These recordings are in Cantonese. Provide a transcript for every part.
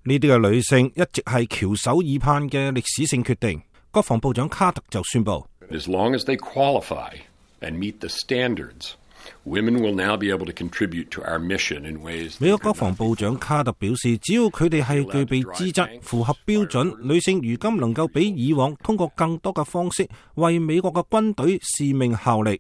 呢啲嘅女性一直係翹首以盼嘅歷史性決定。國防部長卡特就宣布， As long as they qualify and meet the standards, women will now be able to contribute to our mission in ways. 美國國防部長卡特表示，只要佢哋係具備資質、符合標準，女性如今能夠比以往通過更多嘅方式為美國嘅軍隊使命效力。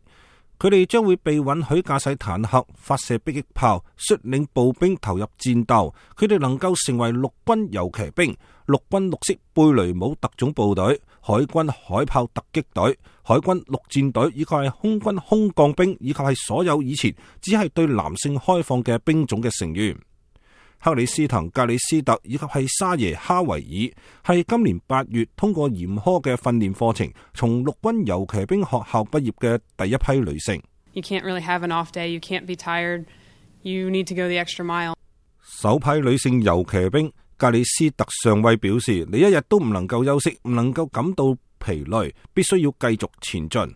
佢哋將會被允許駕駛坦克、發射迫擊炮、率領步兵投入戰鬥。佢哋能夠成為陸軍遊騎兵、陸軍綠色貝雷姆特種部隊、海軍海豹突擊隊、海軍陸戰隊，以及係空軍空降兵，以及係所有以前只係對男性開放嘅兵種嘅成員。克里斯滕格里斯特以及係沙耶哈維爾係今年8月通過嚴苛嘅訓練課程，從陸軍遊騎兵學校畢業嘅第一批女性。You can't really have an off day. You can't be tired. You need to go the extra mile. 首批女性遊騎兵格里斯特上尉表示，你一日都唔能夠休息，唔能夠感到疲累，必須要繼續前進。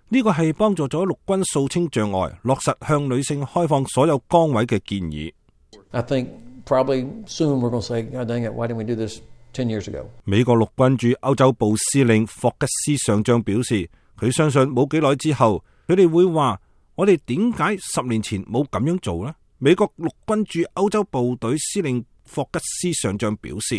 呢個係幫助咗陸軍掃清障礙，落實向女性開放所有崗位嘅建議。I think probably soon we're going to say, God dang it, why didn't we do this 10 years ago? 美國陸軍駐歐洲部司令霍吉斯上將表示，佢相信冇幾耐之後，佢哋會話：我哋點解10年前冇咁樣做呢？美國陸軍駐歐洲部隊司令霍吉斯上將表示，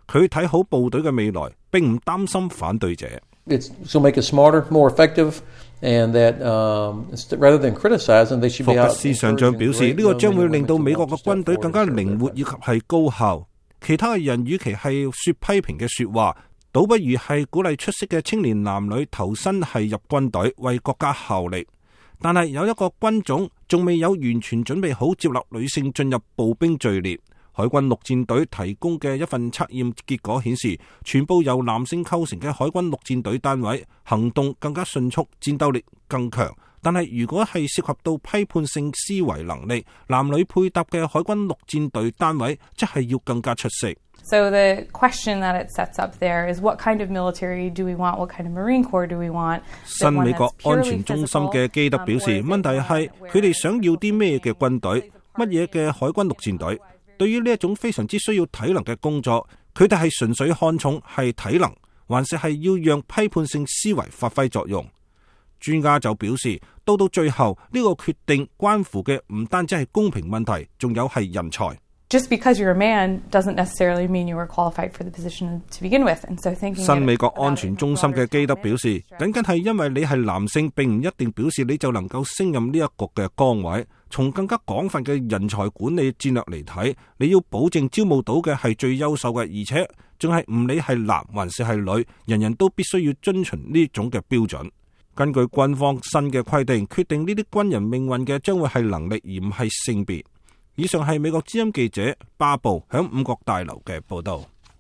佢睇好部隊嘅未來，並唔擔心反對者。It's to make it smarter, more effective, and that rather than criticizing, they should be out. 霍吉斯上將表示，呢個將會令到美國嘅軍隊更加靈活以及係高效。其他嘅人與其係說批評嘅說話，倒不如係鼓勵出色嘅青年男女投身係入軍隊，為國家效力。但係有一個軍種仲未有完全準備好接納女性進入步兵序列。海軍陸戰隊提供嘅一份測驗結果顯示，全部由男性構成嘅海軍陸戰隊單位行動更加迅速，戰鬥力更強。但係如果係涉及到批判性思維能力，男女配搭嘅海軍陸戰隊單位則係要更加出色。So the question that it sets up there is what kind of military do we want? What kind of Marine Corps do we want? 新美國安全中心嘅基德表示，問題係佢哋想要啲咩嘅軍隊，乜嘢嘅海軍陸戰隊。對於呢一種非常之需要體能嘅工作，佢哋係純粹看重係體能，還是係要讓批判性思維發揮作用？專家就表示，到最後呢個決定關乎嘅唔單止係公平問題，仲有係人才。Just because you're a man doesn't necessarily mean you were qualified for the position to begin with. And so thinking 新美國安全中心嘅基德表示，僅係因為你係男性，並唔一定表示你就能夠升任呢一個嘅崗位。從更加廣泛嘅人才管理戰略嚟睇，你要保證招募到嘅係最優秀嘅，而且仲係唔理係男還是係女，人人都必須要遵循呢種嘅標準。根據軍方新嘅規定，決定呢啲軍人命運嘅將會係能力，而唔係性別。以上係美國之音記者巴布響五角大樓嘅報道。